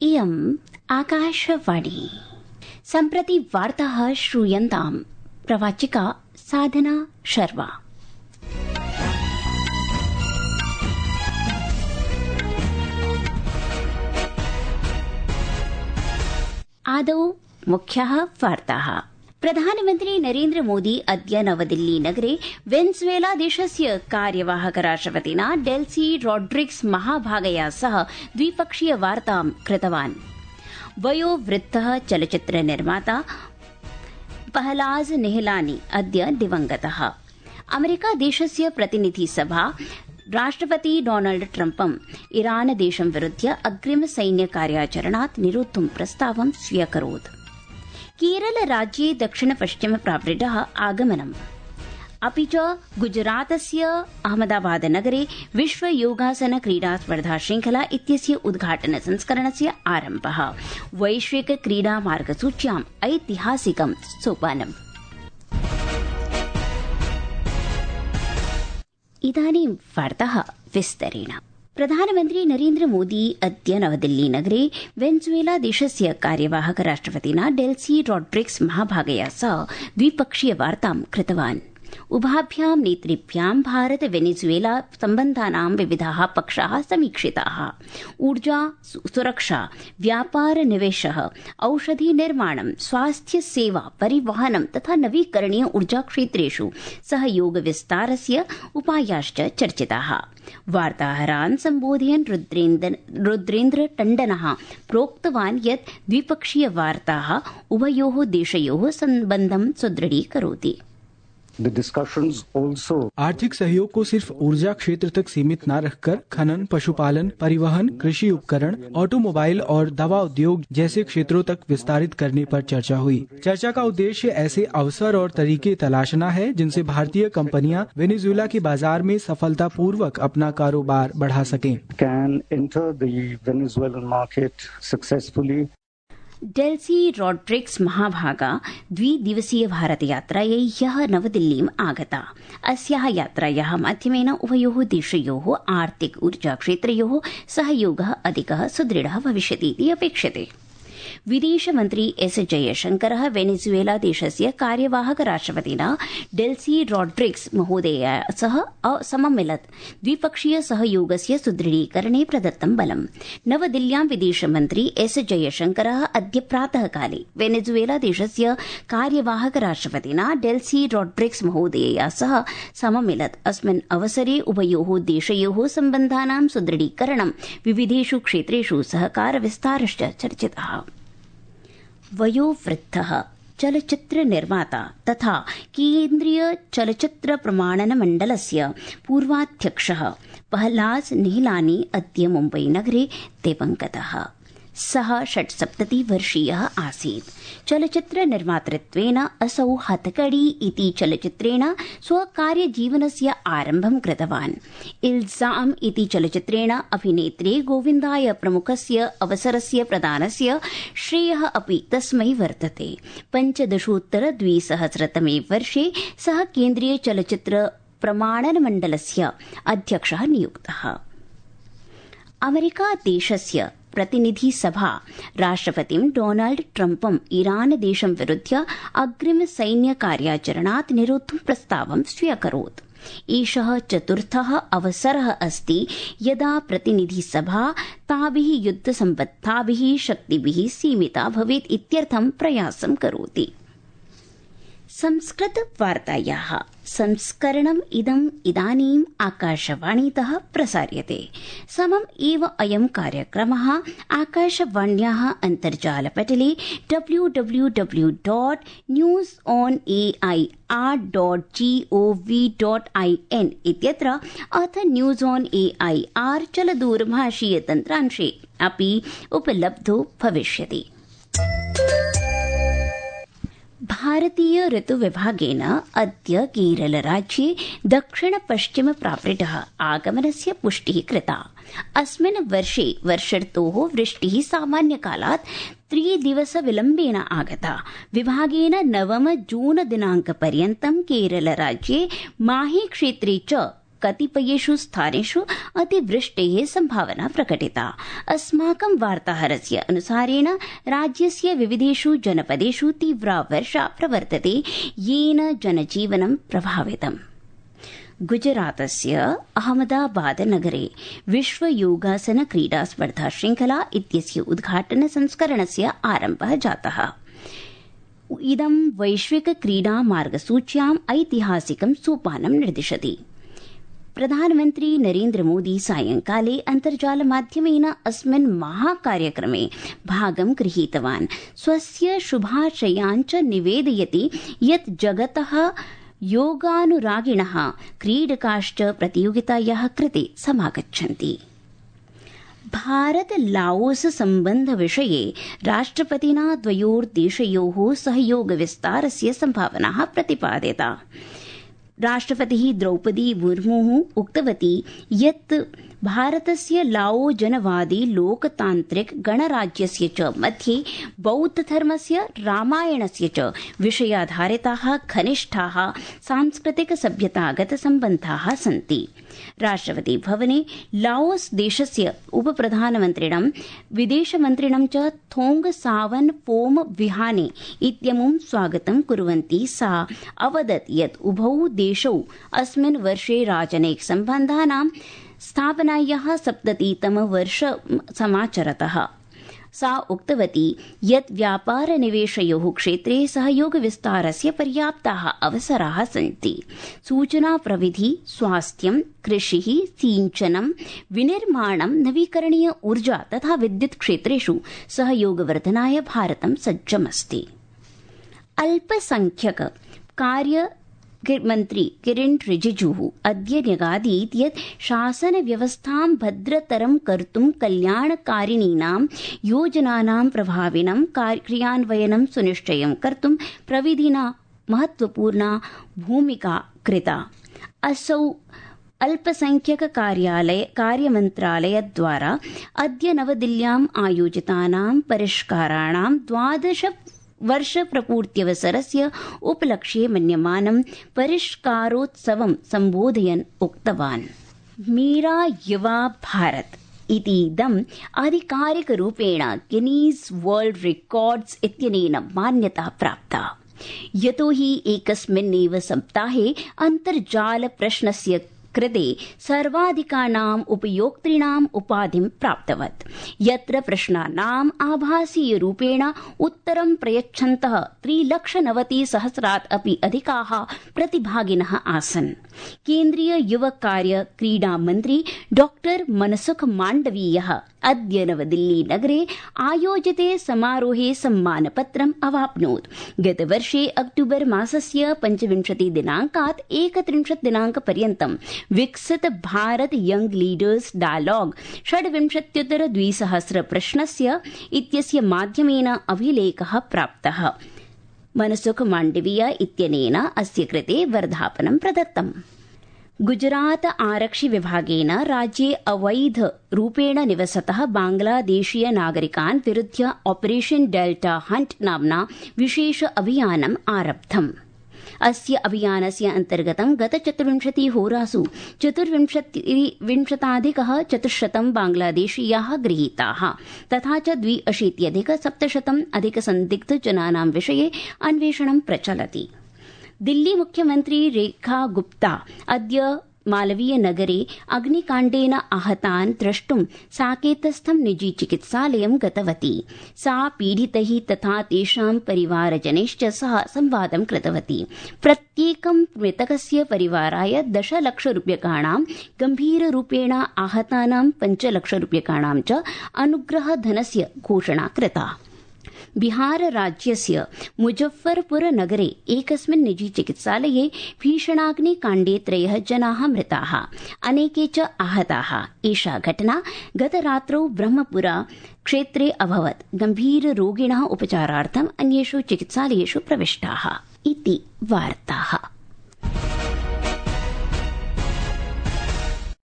इयम् आकाशवाणी। सम्प्रति वार्ताः श्रूयन्ताम्। प्रवाचिका साधना शर्मा। आदौ मुख्याः वार्ताः। प्रधानमन्त्री नरेन्द्र मोदी अद्य नवदिल्ली नगरे वेनेजुएला देशस्य कार्यवाहक राष्ट्रपतिना डेल्सी रोड्रिग्स महाभागया सह द्विपक्षीय वार्तां कृतवान्। वयोवृद्धः चलच्चित्र निर्माता पहलाज निहलानी अद्य दिवंगतः। अमेरिका देशस्य प्रतिनिधि सभा राष्ट्रपति डोनाल्ड ट्रम्पम् ईरान देशं विरुध्य अग्रिम सैन्य कार्याचरणात् निरोद्धुं प्रस्तावं स्व्यकरोत्। केरल राज्ये दक्षिण पश्चिम प्रावृड्डः आगमनम्। अपि च गुजरातस्य अहमदाबाद नगरे विश्व योगासन क्रीडा स्पर्धा श्रृंखला इत्यस्य उद्घाटन संस्करणस्य आरम्भः। वैश्विक क्रीडा मार्गसूच्याम् ऐतिहासिकं सोपानम्। इदानीं वार्ताः विस्तरेण। प्रधानमन्त्री नरेन्द्र मोदी अद्य नवदिल्ली नगरे वेनेजुएला देशस्य कार्यवाहक राष्ट्रपतिना डेल्सी रोड्रिग्स महाभागया सह द्विपक्षीय वार्तां कृतवान्। उभाभ्यां नेतृभ्यां भारत वेनेजुएला सम्बन्धानां विविधाः पक्षाः समीक्षिताः। ऊर्जा सुरक्षा, व्यापार निवेशः, औषधि निर्माणं, स्वास्थ्य सेवा, परिवहनं तथा नवीकरणीय ऊर्जा क्षेत्रेषु सहयोग विस्तारस्य उपायाश्च चर्चिताः। वार्ताहरान् सम्बोधयन् रुद्रेन्द्र टण्डनः प्रोक्तवान् यत् द्विपक्षीय वार्ताः उभयोः देशयोः सम्बन्धं सुदृढीकरोति। आर्थिक सहयोग को सिर्फ ऊर्जा क्षेत्र तक सीमित न रखकर खनन, पशुपालन, परिवहन, कृषि उपकरण, ऑटोमोबाइल और दवा उद्योग जैसे क्षेत्रों तक विस्तारित करने पर चर्चा हुई। चर्चा का उद्देश्य ऐसे अवसर और तरीके तलाशना है जिनसे भारतीय कंपनियां वेनेजुएला के बाजार में सफलतापूर्वक अपना कारोबार बढ़ा सकें। डेल्सी रोड्रिग्स महाभागा द्विदिवसीय भारतयात्रायै ह्यः नवदिल्लीम् आगता। अस्याः यात्रायाः माध्यमेन उभयोः देशयोः आर्थिक ऊर्जा क्षेत्रयोः सहयोगः अधिकः सुदृढः भविष्यतीति अपेक्षते। विदेशमन्त्री एस जयशंकरः वेनेजुएला देशस्य कार्यवाहक राष्ट्रपतिना डेल्सी रोड्रिग्स महोदयया सह सममिलत्। द्विपक्षीय सहयोगस्य सुदृढीकरणे प्रदत्तं बलम्। नवदिल्ल्यां विदेशमन्त्री एस जयशंकरः अद्य प्रातःकाले वेनेजुएला देशस्य कार्यवाहक राष्ट्रपतिना डेल्सी रोड्रिग्स महोदयया सह सममिलत्। अस्मिन् अवसरे उभयोः देशयोः सम्बन्धानां सुदृढीकरणं, विविधेषु क्षेत्रेषु सहकार विस्तारश्च चर्चितः। वयोवृद्धः चलच्चित्र निर्माता तथा केन्द्रीय चलच्चित्र प्रमाणन मण्डलस्य पूर्वाध्यक्षः पहलाज निहलानी अद्य मुम्बई नगरे दिवंगतः। सः 76 आसीत्। चलच्चित्र निर्मातृत्वेन असौ हथकड़ी इति चलच्चित्रेण स्वकार्यजीवनस्य आरम्भं कृतवान्। इल्जाम इति चलच्चित्रेण अभिनेत्रे गोविन्दाय प्रमुखस्य अवसरस्य प्रदानस्य श्रेयः अपि तस्मै वर्तते। 15-2000 वर्षे सः केन्द्रीय चलच्चित्र प्रमाणन मण्डलस्य अध्यक्षः नियुक्तः। अमेरिका देशस्य प्रतिनिधि सभा राष्ट्रपतिं डोनाल्ड ट्रम्पम् ईरान देशं विरुध्य अग्रिम सैन्य कार्याचरणात् निरोद्धुं प्रस्तावं स्व्यकरोत्। एषः चतुर्थः अवसरः अस्ति यदा प्रतिनिधि सभा ताभिः युद्धसम्बद्धाभिः शक्तिभिः सीमिता भवेत् इत्यर्थं प्रयासं करोति। संस्कृत वार्तायाः संस्करणम् इदानीम् आकाशवाणीतः प्रसार्यते। समम् एव अयं कार्यक्रमः आकाशवाण्याः अन्तर्जालपटले www.newsonair.gov.in इत्यत्र अथ न्यूज़ ऑन एआईआर चलदूरभाषीय तन्त्रांशे अपि उपलब्धो भविष्यति। भारतीय ऋतुविभागेन अद्य केरलराज्ये दक्षिण पश्चिम प्रावृड्डः आगमनस्य पुष्टिः कृता। अस्मिन् वर्षे वर्षर्तोः वृष्टिः सामान्यकालात् 3 दिवसविलम्बेन आगता। विभागेन 9 जून दिनाङ्कपर्यन्तं केरलराज्ये माहे क्षेत्रे च कतिपयेषु स्थानेषु अतिवृष्टेः संभावना प्रकटिता। अस्माकं वार्ताहरस्य अनुसारेण राज्यस्य विविधेषु जनपदेषु तीव्रा वर्षा प्रवर्तते, येन जनजीवनं प्रभावितम्। गुजरातस्य अहमदाबाद नगरे विश्व योगासन क्रीडा स्पर्धा श्रृंखला इत्यस्य उद्घाटन संस्करणस्य आरम्भः जातः। इदं वैश्विक क्रीडा मार्गसूच्याम् ऐतिहासिकं सोपानं निर्दिशति। प्रधानमन्त्री नरेन्द्र मोदी सायंकाले अन्तर्जालमाध्यमेन अस्मिन् महाकार्यक्रमे भागं गृहीतवान्। स्वस्य शुभाशयान् च निवेदयति यत् जगतः योगानुरागिणः क्रीडकाश्च प्रतियोगितायाः कृते समागच्छन्ति। भारत लाओस सम्बन्ध विषये राष्ट्रपतिना द्वयोर्देशयोः सहयोग विस्तारस्य सम्भावनाः प्रतिपादिता। राष्ट्रपतिः द्रौपदी मुर्मुः उक्तवती यत् भारतस्य लाओ जनवादी लोकतान्त्रिक गणराज्यस्य च मध्ये बौद्धधर्मस्य रामायणस्य च विषयाधारिताः घनिष्ठाः सांस्कृतिक सभ्यतागत सम्बन्धाः सन्ति। राष्ट्रपति भवने लाओस देशस्य उपप्रधानमन्त्रिणं विदेशमन्त्रिणं च थोंग सावन फोम विहाने इत्यमुं स्वागतं कुर्वन्ती सा अवदत् यत् उभौ देशौ अस्मिन् वर्षे राजनैतिक सम्बन्धानां स्थापनायाः 70तमं वर्षं समाचरतः। सा उक्तवती यत् व्यापारनिवेशयोः क्षेत्रे सहयोगविस्तारस्य पर्याप्ताः अवसराः सन्ति। सूचना प्रविधि, स्वास्थ्यं, कृषिः, सिंचनं, विनिर्माणं, नवीकरणीय ऊर्जा तथा विद्युत् क्षेत्रेषु सहयोगवर्धनाय भारतं सज्जमस्ति। अल्पसंख्यक कार्य मन्त्री किरेन रिजिजुः अद्य न्यगादीत् यत् शासनव्यवस्थां भद्रतरं कर्तुं कल्याणकारिणीनां योजनानां प्रभाविनं क्रियान्वयनं सुनिश्चयं कर्तुं प्रविधिना महत्वपूर्णा भूमिका कृता। असौ अल्पसंख्यक कार्यमन्त्रालयद्वारा अद्य नवदिल्ल्याम् आयोजितानां परिष्काराणां 12 वर्षप्रपूर्त्यवसरस्य उपलक्ष्ये मन्यमानं परिष्कारोत्सवं सम्बोधयन् उक्तवान्। मेरा युवा भारत इतीदम् आधिकारिकरूपेण गिनीस् वर्ल्ड रेकॉर्ड्स इत्यनेन मान्यता प्राप्ता, यतोहि एकस्मिन्नेव सप्ताहे अन्तर्जाल प्रश्नस्य कृते सर्वाधिकानाम् उपयोक्तॄणाम् उपाधिं प्राप्तवत्, यत्र प्रश्नानाम् आभासीयरूपेण उत्तरं प्रयच्छन्तः 3,90,000 अपि अधिकाः प्रतिभागिनः आसन्। केन्द्रीय युव कार्य क्रीडा मन्त्री डॉक्टर मनसुख माण्डवीयः अद्य नवदिल्ली नगरे आयोजिते समारोहे सम्मानपत्रम् अवाप्नोत्। गतवर्षे अक्टूबर मासस्य 25 दिनाङ्कात् 31 दिनाङ्कपर्यन्तं विकसित भारत यंग लीडर्स डायलॉग 26,200 प्रश्नस्य इत्यस्य माध्यमेन अभिलेखः प्राप्तः। मनसुख माण्डवीय इत्यनेन अस्य कृते वर्धापनं प्रदत्तम्। गुजरात आरक्षि विभागेन राज्ये अवैध रूपेण निवसतः बांग्लादेशीय नागरिकान् विरुध्य ऑपरेशन डेल्टा हंट नाम्ना विशेष अभियानम् आरब्धम्। अस्य अभियानस्य अन्तर्गतं गत 24 होरासु 24,400 बांग्लादेशीयाः गृहीताः तथा च 82,700 संदिग्धजनानां विषये अन्वेषणं प्रचलति। दिल्ली मुख्यमन्त्री रेखा गुप्ता अद्य मालवीय नगरे अग्निकाण्डेन आहतान् द्रष्टुं साकेतस्थं निजी चिकित्सालयं गतवती। सा पीडितैः तथा तेषां परिवारजनैश्च सह संवादं कृतवती। प्रत्येकं मृतकस्य परिवाराय 10 लक्षरूप्यकाणां, गम्भीररूपेण आहतानां 5 लक्षरूप्यकाणां च अनुग्रहधनस्य घोषणा कृता। बिहार राज्यस्य मुजफ्फरपुर नगरे एकस्मिन् निजी चिकित्सालये भीषणाग्निकाण्डे 3 जनाः मृताः, अनेके च आहताः। एषा घटना गतरात्रौ ब्रह्मपुरा क्षेत्रे अभवत्। गम्भीररोगिणः उपचारार्थम् अन्येषु चिकित्सालयेषु प्रविष्टाः इति वार्ताः।